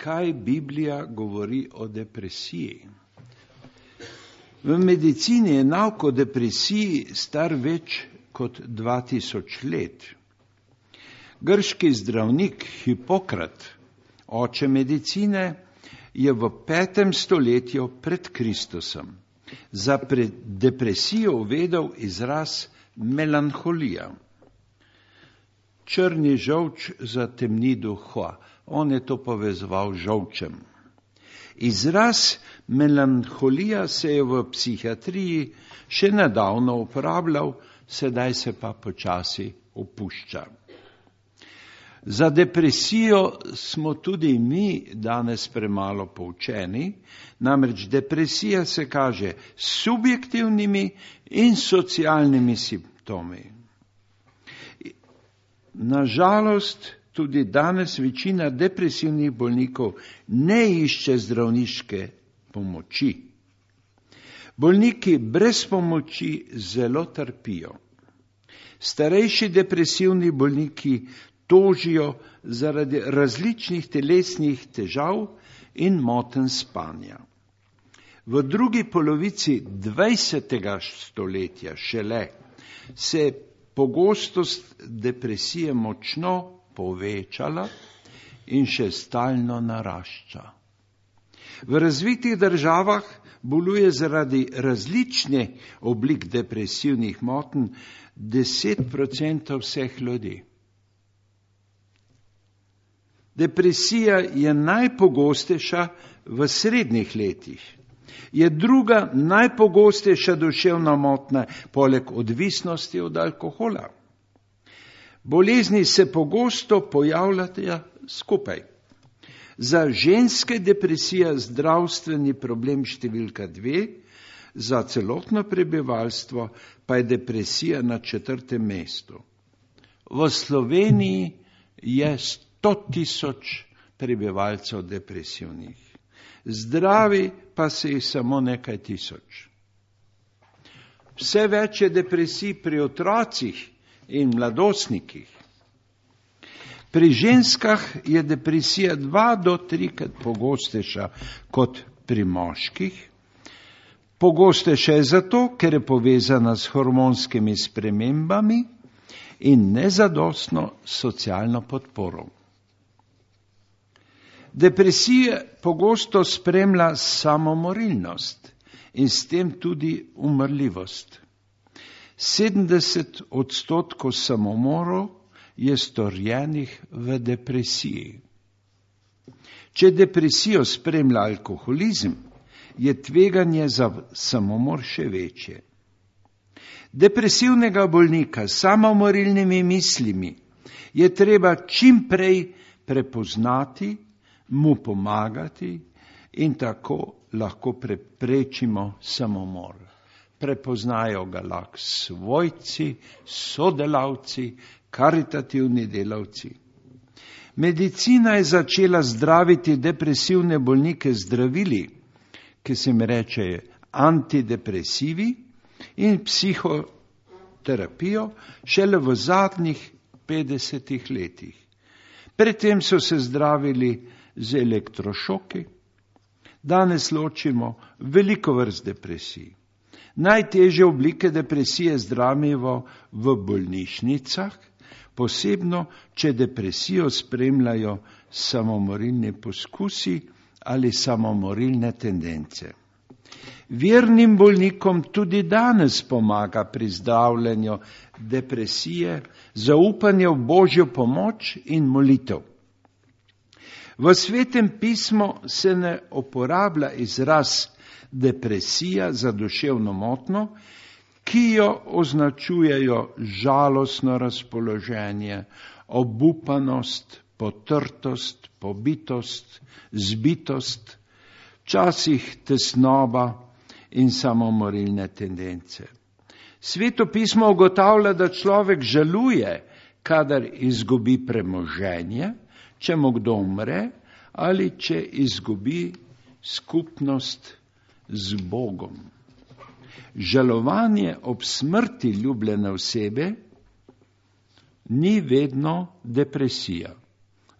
kaj Biblija govori o depresiji. V medicini je nauk o depresiji star več kot 2000 let. Grški zdravnik Hipokrat, oče medicine, je v 5. stoletju pred Kristusom za depresijo uvedel izraz melanholija. Črni žolč zatemni duha. On je to povezoval z žolčem. Izraz melanholija se je v psihiatriji še nedavno uporabljal, sedaj se pa počasi opušča. Za depresijo smo tudi mi danes premalo poučeni, namreč depresija se kaže s subjektivnimi in socialnimi simptomi. Nažalost, tudi danes večina depresivnih bolnikov ne išče zdravniške pomoči. Bolniki brez pomoči zelo trpijo. Starejši depresivni bolniki tožijo zaradi različnih telesnih težav in motenj spanja. V drugi polovici 20. stoletja šele se je pogostost depresije močno povečala in še stalno narašča. V razvitih državah boluje zaradi različnih oblik depresivnih motenj 10% vseh ljudi. Depresija je najpogostejša v srednjih letih. Je druga najpogostejša duševna motnja poleg odvisnosti od alkohola. Bolezni se pogosto pojavljajo skupaj. Za ženske depresija zdravstveni problem številka 2, za celotno prebivalstvo pa je depresija na 4. mestu. V Sloveniji je 100.000 prebivalcev depresivnih. Zdravi pa se jih samo nekaj tisoč. Vse več je depresij pri otrocih in mladostnikih. Pri ženskah je depresija 2 do 3-krat pogostejša kot pri moških. Pogostejša je zato, ker je povezana s hormonskimi spremembami in nezadostno socialno podporo. Depresija pogosto spremlja samomorilnost in s tem tudi umrljivost. 70% samomorov je storjenih v depresiji. Če depresijo spremlja alkoholizem, je tveganje za samomor še večje. Depresivnega bolnika s samomorilnimi mislimi je treba čim prej prepoznati, mu pomagati in tako lahko preprečimo samomor. Prepoznajo ga lahko svojci, sodelavci, karitativni delavci. Medicina je začela zdraviti depresivne bolnike zdravili, ki se jim reče antidepresivi, in psihoterapijo šele v zadnjih 50 letih. Predtem so se zdravili z elektrošoki. Danes ločimo veliko vrst depresij. Najtežje oblike depresije zdravimo v bolnišnicah, posebno če depresijo spremljajo samomorilni poskusi ali samomorilne tendence. Vernim bolnikom tudi danes pomaga pri zdravljenju depresije zaupanje v Božjo pomoč in molitev. V Svetem pismu se ne uporablja izraz depresija za duševno motnjo, ki jo označujejo žalostno razpoloženje, obupanost, potrtost, pobitost, zbitost, včasih tesnoba in samomorilne tendence. Sveto pismo ugotavlja, da človek žaluje, kadar izgubi premoženje, če mu kdo umre ali če izgubi skupnost z Bogom. Žalovanje ob smrti ljubljene osebe ni vedno depresija.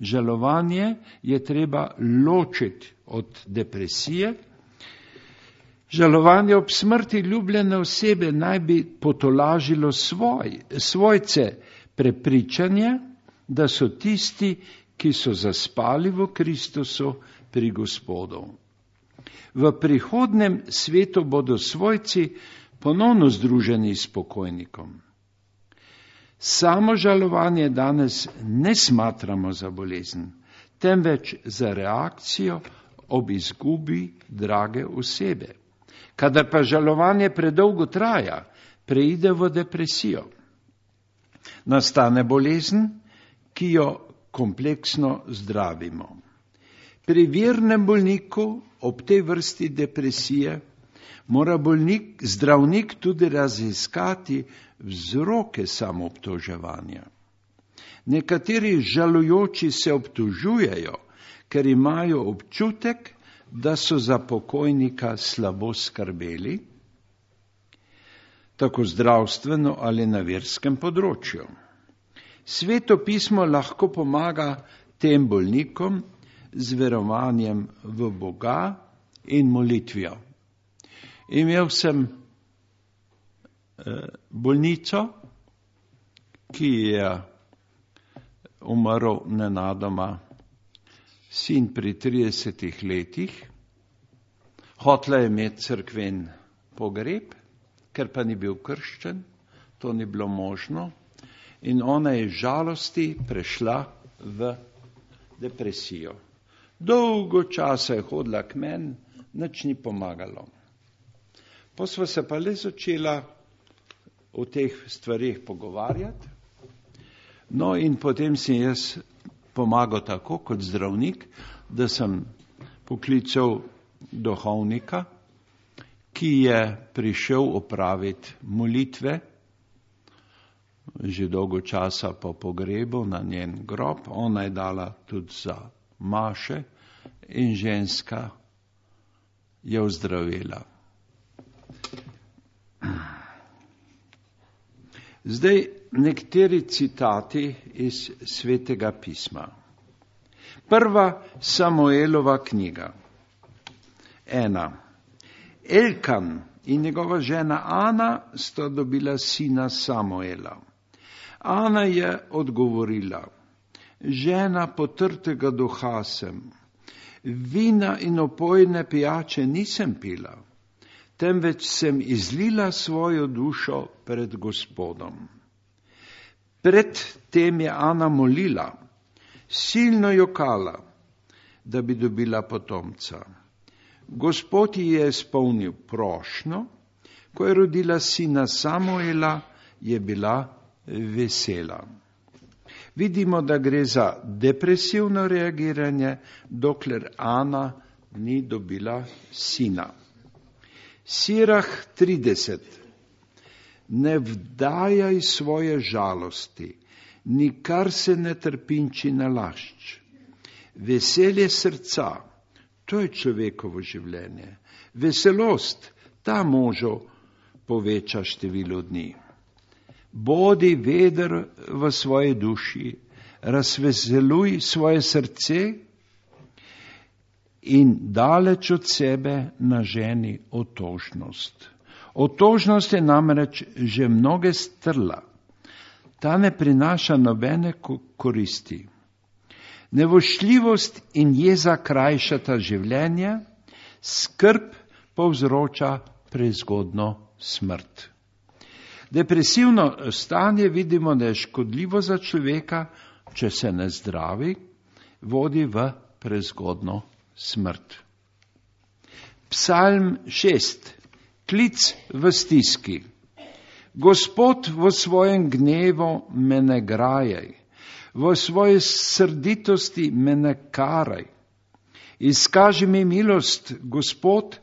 Žalovanje je treba ločiti od depresije. Žalovanje ob smrti ljubljene osebe naj bi potolažilo svojce prepričanje, da so tisti, ki so zaspali v Kristusu pri Gospodu. V prihodnem svetu bodo svojci ponovno združeni s pokojnikom. Samo žalovanje danes ne smatramo za bolezen, temveč za reakcijo ob izgubi drage osebe. Kadar pa žalovanje predolgo traja, preide v depresijo. Nastane bolezen, ki jo kompleksno zdravimo. Pri vernem bolniku ob tej vrsti depresije mora zdravnik tudi raziskati vzroke samoobtoževanja. Nekateri žalujoči se obtožujejo, ker imajo občutek, da so za pokojnika slabo skrbeli, tako zdravstveno ali na verskem področju. Sveto pismo lahko pomaga tem bolnikom z verovanjem v Boga in molitvijo. Imel sem bolnico, ki je umrl nenadoma sin pri 30 letih. Hotela je imeti cerkven pogreb, ker pa ni bil krščen, to ni bilo možno. In ona je žalosti prešla v depresijo. Dolgo časa je hodila k meni, nič ni pomagalo. Pa sva se pa le začela o teh stvarih pogovarjati. No in potem sem jaz pomagal tako kot zdravnik, da sem poklical duhovnika, ki je prišel opraviti molitve, že dolgo časa po pogrebu na njen grob. Ona je dala tudi za maše in ženska je ozdravela. Zdaj nekateri citati iz Svetega pisma. Prva Samuelova knjiga. 1. Elkan in njegova žena Ana sta dobila sina Samuela. Ana je odgovorila: žena potrtega duha sem, vina in opojne pijače nisem pila, temveč sem izlila svojo dušo pred Gospodom. Pred tem je Ana molila, silno jokala, da bi dobila potomca. Gospod ji je izpolnil prošnjo, ko je rodila sina Samuela, je bila vesela. Vidimo, da gre za depresivno reagiranje, dokler Ana ni dobila sina. Sirah 30. Ne vdajaj svoje žalosti, nikar se ne trpinči nalašč. Veselje srca, to je človekovo življenje. Veselost, ta možu poveča število dni. Bodi veder v svoji duši, razveseluj svoje srce in daleč od sebe naženi otožnost. Otožnost je namreč že mnoge strla. Ta ne prinaša nobene koristi. Nevošljivost in jeza krajšata življenje, skrb povzroča prezgodno smrt. Depresivno stanje vidimo, da je škodljivo za človeka, če se ne zdravi, vodi v prezgodno smrt. Psalm 6. Klic v stiski. Gospod, v svojem gnevu me ne grajaj, v svoji srditosti me ne karaj. Izkaži mi milost, Gospod,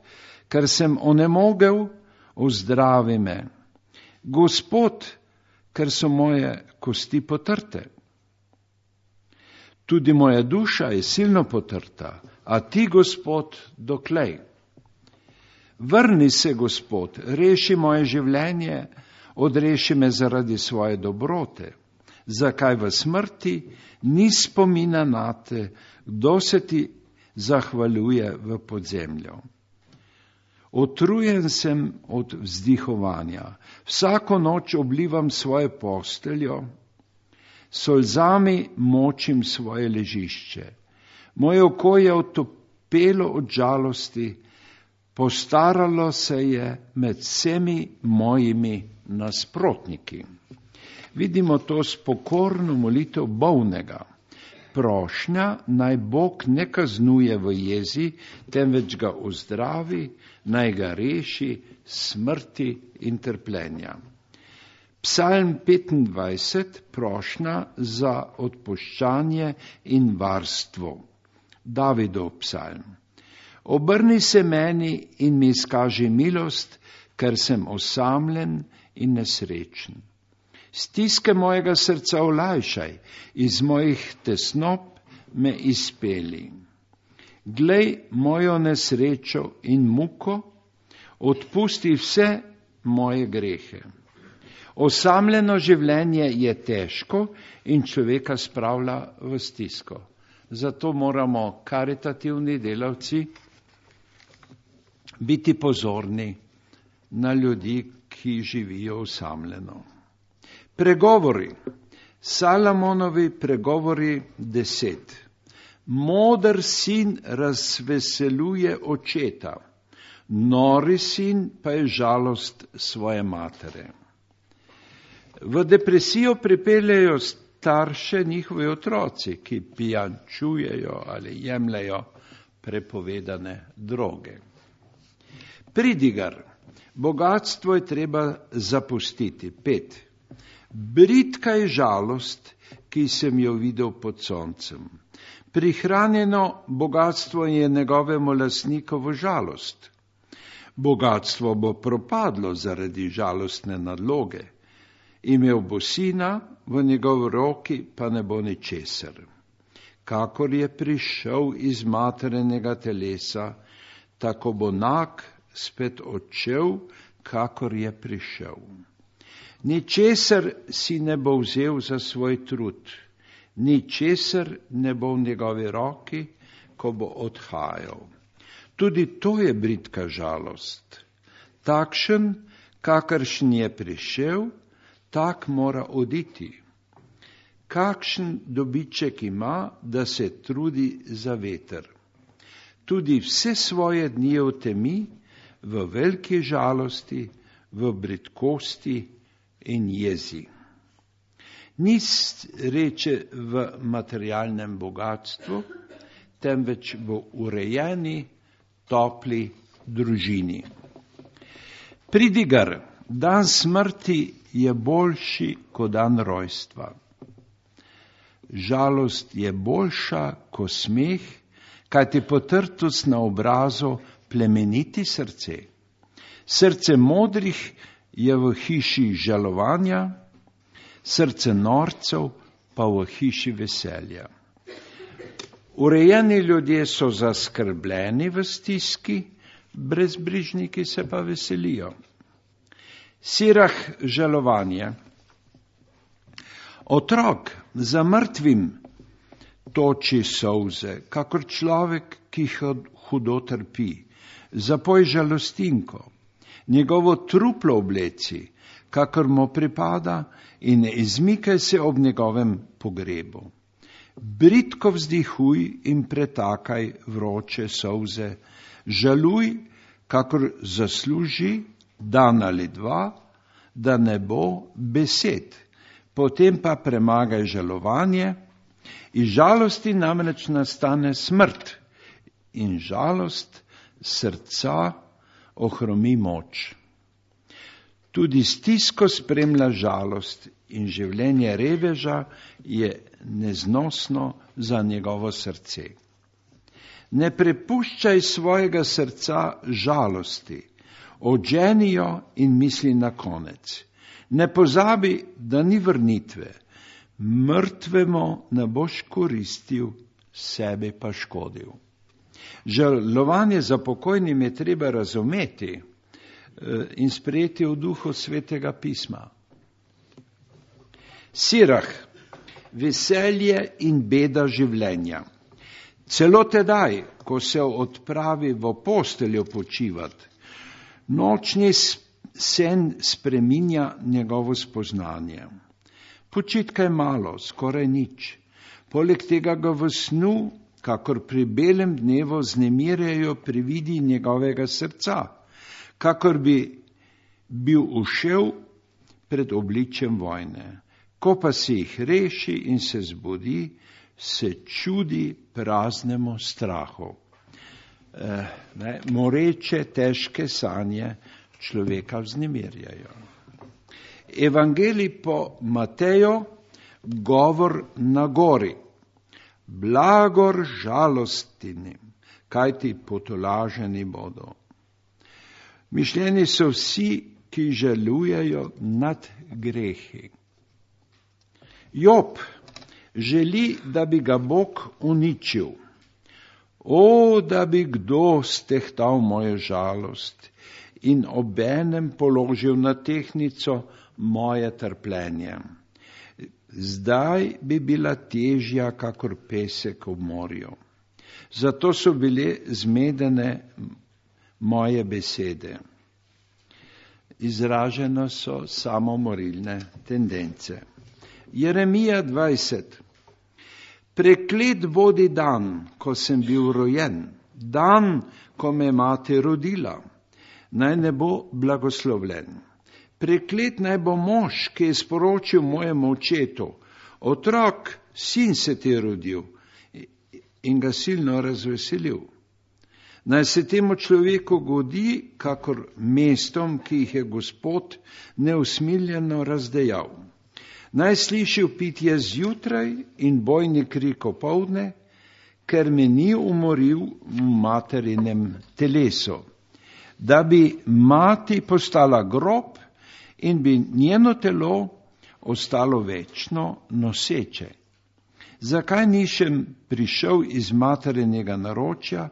ker sem onemogel, ozdravi me. Gospod, ker so moje kosti potrte. Tudi moja duša je silno potrta, a ti, Gospod, doklej. Vrni se, Gospod, reši moje življenje, odreši me zaradi svoje dobrote. zakaj v smrti ni spomina nate, kdo se ti zahvaljuje v podzemlju. Otrujen sem od vzdihovanja, vsako noč oblivam svoje posteljo, solzami močim svoje ležišče. Moje oko je otopelo od žalosti, postaralo se je med vsemi mojimi nasprotniki. Vidimo to s pokorno molitev bolnega. Prošnja naj Bog ne kaznuje v jezi, temveč ga ozdravi, naj ga reši smrti in trpljenja. Psalm 25, prošnja za odpuščanje in varstvo. Davidov psalm. Obrni se meni in mi izkaži milost, ker sem osamljen in nesrečen. Stiske mojega srca olajšaj, iz mojih tesnob me izpeli. Glej mojo nesrečo in muko, odpusti vse moje grehe. Osamljeno življenje je težko in človeka spravlja v stisko. Zato moramo karitativni delavci biti pozorni na ljudi, ki živijo osamljeno. Pregovori, Salomonovi pregovori 10. Moder sin razveseljuje očeta, nori sin pa je žalost svoje matere. V depresijo pripeljejo starše njihovi otroci, ki pijančujejo ali jemljajo prepovedane droge. Pridigar, bogatstvo je treba zapustiti. 5. Bridka je žalost, ki sem jo videl pod soncem. Prihranjeno bogatstvo je njegovemu lastnikovu žalost. Bogatstvo bo propadlo zaradi žalostne nadloge. Imel bo sina, v njegovi roki pa ne bo ničesar. Kakor je prišel iz materinega telesa, tako bo nag spet odšel, kakor je prišel. Ničesar si ne bo vzel za svoj trud, ničesar ne bo v njegovi roki, ko bo odhajal. Tudi to je bridka žalost. Takšen, kakršen je prišel, tak mora oditi. Kakšen dobiček ima, da se trudi za veter. Tudi vse svoje dni v temi, v veliki žalosti, v bridkosti in jezi. Ni sreče v materialnem bogatstvu, temveč v urejeni, topli družini. Pridigar, dan smrti je boljši kot dan rojstva. Žalost je boljša kot smeh, kajti potrtost na obrazu plemeniti srce. Srce modrih je v hiši žalovanja, srce norcev pa v hiši veselja. Urejeni ljudje so zaskrbljeni v stiski, brezbrižniki se pa veselijo. Sirah žalovanje. Otrok za mrtvim toči solze, kakor človek, ki hudo trpi. Zapoj žalostinko, njegovo truplo obleci, kakor mu pripada, in ne izmikaj se ob njegovem pogrebu. Bridko vzdihuj in pretakaj vroče solze, žaluj, kakor zasluži dan ali dva, da ne bo besed. Potem pa premagaj žalovanje, iz žalosti namreč nastane smrt in žalost srca ohromi moč. Tudi stisko spremlja žalost in življenje reveža je neznosno za njegovo srce. Ne prepuščaj svojega srca žalosti, odženi jo in misli na konec. Ne pozabi, da ni vrnitve, mrtvemu ne boš koristil, sebi pa škodil. Žalovanje za pokojnim je treba razumeti in sprejeti v duhu Svetega pisma. Sirah, veselje in beda življenja. Celo tedaj, ko se odpravi v posteljo počivat, nočni sen spreminja njegovo spoznanje. Počitka je malo, skoraj nič. Poleg tega ga v snu, kakor pri belem dnevu, znemirjajo prividi njegovega srca, kakor bi bil ušel pred obličjem vojne. Ko pa se jih reši in se zbudi, se čudi praznemu strahu. Moreče težke sanje človeka vznemirjajo. Evangelij po Mateju, govor na gori. Blagor žalostinim, kajti potolaženi bodo. Mišljeni so vsi, ki žalujejo nad grehi. Job želi, da bi ga Bog uničil. O, da bi kdo stehtal mojo žalost in obenem položil na tehtnico moje trpljenje. Zdaj bi bila težja kakor pesek v morju. Zato so bile zmedene moje besede. Izražene so samomorilne tendence. Jeremija 20. Preklet bodi dan, ko sem bil rojen, dan, ko me mati rodila. Naj ne bo blagoslovljen. Preklet naj bo mož, ki je sporočil mojemu očetu, otrok, sin se ti je rodil, in ga silno razveselil. Naj se temu človeku godi, kakor mestom, ki jih je Gospod neusmiljeno razdejal. Naj sliši vpitje zjutraj in bojni krik opoldne, ker me ni umoril v materinem telesu, da bi mati postala grob in bi njeno telo ostalo večno noseče. Zakaj nisem prišel iz materinega naročja,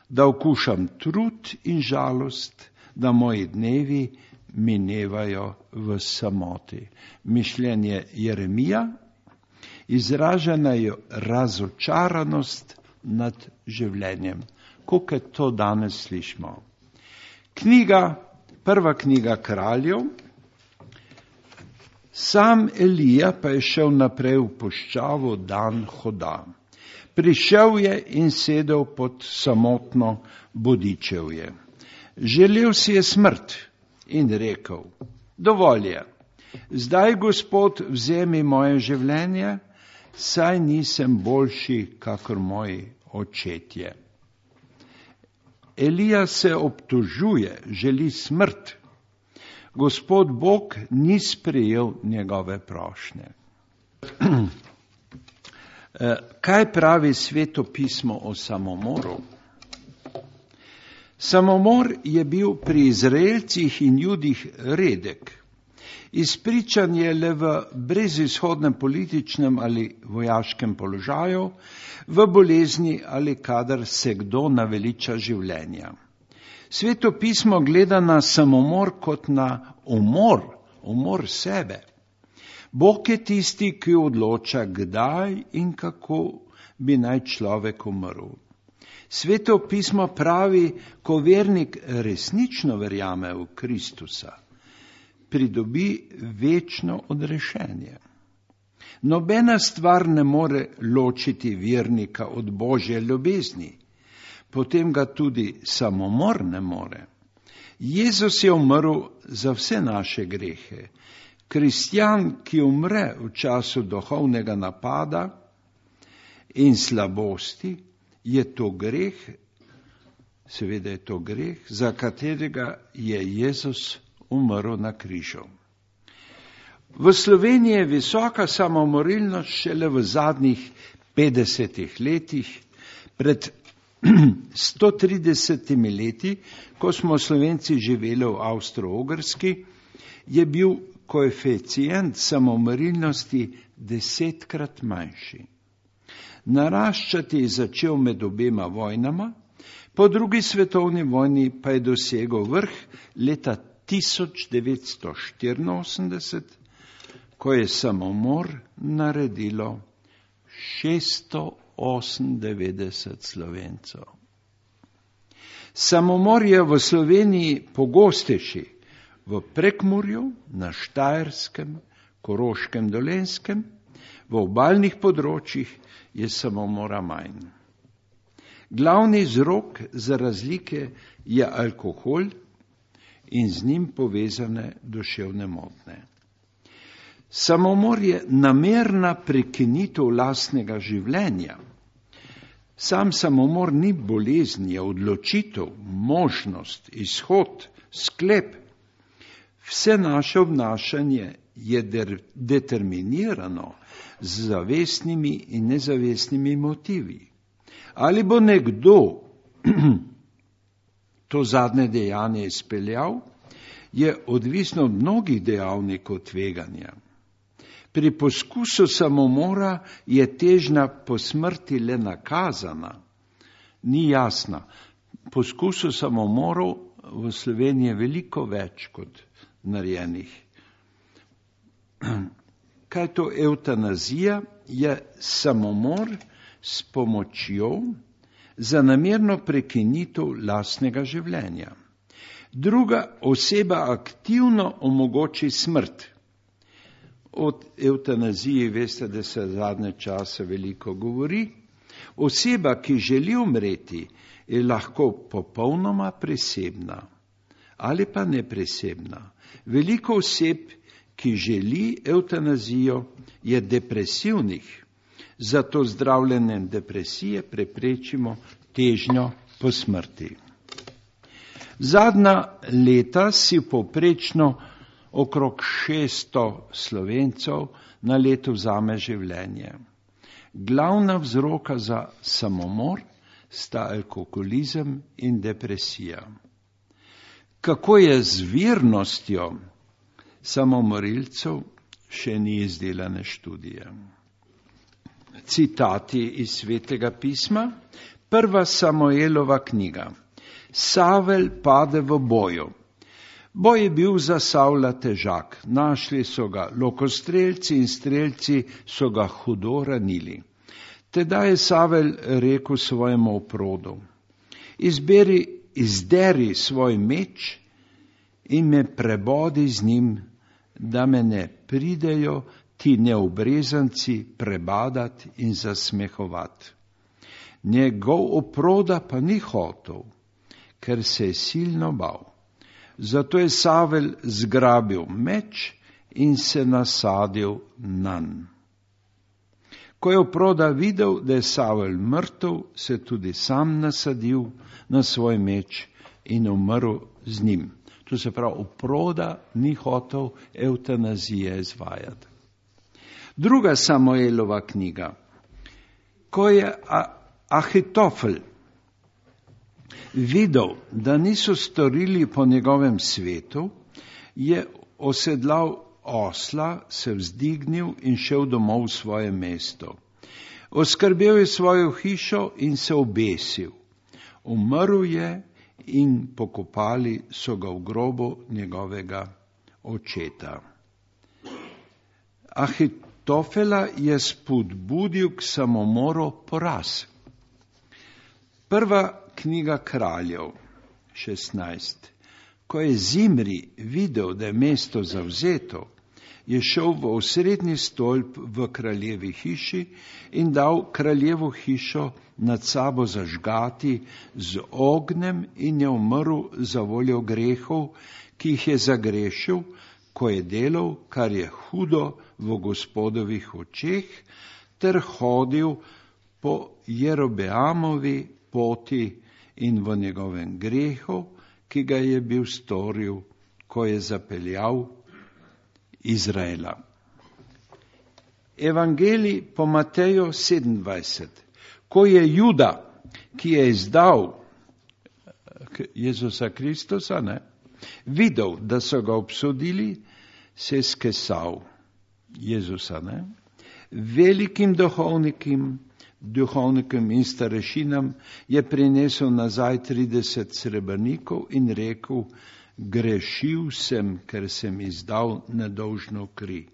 da okušam trud in žalost, da moji dnevi minevajo v samoti. Mišljenje Jeremija, izražena je razočaranost nad življenjem, koliko to danes slišimo. Prva knjiga Kraljev. Sam Elija pa je šel naprej v puščavo dan hoda. Prišel je in sedel pod samotno bodičevje. Želel si je smrt in rekel, dovolj je, zdaj, Gospod, vzemi moje življenje, saj nisem boljši, kakor moji očetje. Elija se obtožuje, želi smrt. Gospod Bog ni sprejel njegove prošnje. Kaj pravi Sveto pismo o samomoru? Samomor je bil pri Izraelcih in Judih redek. Izpričan je le v brezizhodnem političnem ali vojaškem položaju, v bolezni ali kadar se kdo naveliča življenja. Sveto pismo gleda na samomor kot na umor sebe. Bog je tisti, ki odloča, kdaj in kako bi naj človek umrl. Sveto pismo pravi, ko vernik resnično verjame v Kristusa, pridobi večno odrešenje. Nobena stvar ne more ločiti vernika od Božje ljubezni, potem ga tudi samomor ne more. Jezus je umrl za vse naše grehe. Kristjan, ki umre v času duhovnega napada in slabosti, je to greh, seveda je to greh, za katerega je Jezus umrl na križu. V Sloveniji je visoka samomorilnost šele v zadnjih 50 letih. Pred 130 leti, ko smo Slovenci živeli v Avstro-Ogrski, je bil koeficient samomorilnosti 10-krat manjši. Naraščati je začel med obema vojnama, po drugi svetovni vojni pa je dosegel vrh leta 1984, ko je samomor naredilo 698 Slovencev. Samomor je v Sloveniji pogostejši v Prekmurju, na Štajerskem, Koroškem, Dolenjskem, v obalnih področjih je samomora manj. Glavni vzrok za razlike je alkohol in z njim povezane duševne motnje. Samomor je namerna prekinitev lastnega življenja. Sam samomor ni bolezen, je odločitev, možnost, izhod, sklep. Vse naše obnašanje je determinirano z zavestnimi in nezavestnimi motivi. Ali bo nekdo to zadnje dejanje izpeljal, je odvisno od mnogih dejavnikov tveganja. Pri poskusu samomora je težnja po smrti le nakazana, ni jasna. Poskusu samomorov v Sloveniji je veliko več kot narejenih. Kaj je to evtanazija? Je samomor s pomočjo za namerno prekinitev lastnega življenja. Druga oseba aktivno omogoči smrt. O evtanaziji veste, da se zadnje čase veliko govori. Oseba, ki želi umreti, je lahko popolnoma presebna ali pa nepresebna. Veliko oseb, ki želi evtanazijo, je depresivnih. Zato zdravljenjem depresije preprečimo težnjo po smrti. Zadnja leta si povprečno okrog 600 Slovencev na leto vzame življenje. Glavna vzroka za samomor sta alkoholizem in depresija. Kako je z virnostjo samomorilcev, še ni izdelane študije. Citati iz Svetega pisma. Prva Samuelova knjiga. Savel pade v boju. Boj je bil za Savla težak. Našli so ga lokostrelci in strelci so ga hudo ranili. Tedaj je Savel rekel svojemu oprodu: izderi svoj meč in me prebodi z njim, da me ne pridejo ti neobrezanci prebadat in zasmehovati. Njegov oproda pa ni hotel, ker se je silno bal. Zato je Savel zgrabil meč in se nasadil nanj. Ko je oproda videl, da je Savel mrtev, se tudi sam nasadil na svoj meč in umrl z njim. To se pravi, oproda ni hotel evtanazije izvajati. Druga Samuelova knjiga. Ko je Ahitofel videl, da niso storili po njegovem svetu, je osedlal osla, se vzdignil in šel domov v svoje mesto. Oskrbel je svojo hišo in se obesil. Umrl je in pokopali so ga v grobu njegovega očeta. Ahitofela je spodbudil k samomoru poraz. Prva knjiga Kraljev 16. Ko je Zimri videl, da je mesto zavzeto, je šel v osrednji stolp v kraljevi hiši in dal kraljevo hišo nad sabo zažgati z ognjem in je umrl za voljo grehov, ki jih je zagrešil, ko je delal, kar je hudo v Gospodovih očeh, ter hodil po Jerobeamovi poti in v njegovem grehu, ki ga je bil storil, ko je zapeljal Izraela. Evangelij po Mateju 27. Ko je Juda, ki je izdal Jezusa Kristusa, videl, da so ga obsodili, se je skesal Jezusa. Velikim duhovnikom in starešinam je prinesel nazaj 30 srebrnikov in rekel: grešil sem, ker sem izdal nedolžno kri.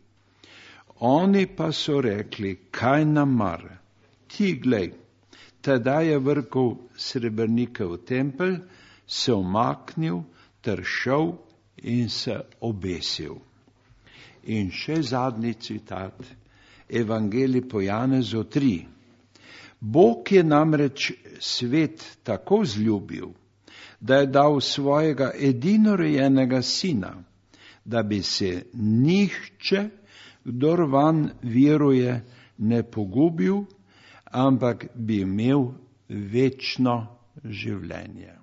Oni pa so rekli, kaj nam mar? Ti glej, tedaj je vrgel srebrnike v tempelj, se umaknil ter šel in se obesil. In še zadnji citat, Evangelij po Janezu 3. Bog je namreč svet tako vzljubil, da je dal svojega edinorojenega sina, da bi se nihče, kdor vanj veruje, ne pogubil, ampak bi imel večno življenje.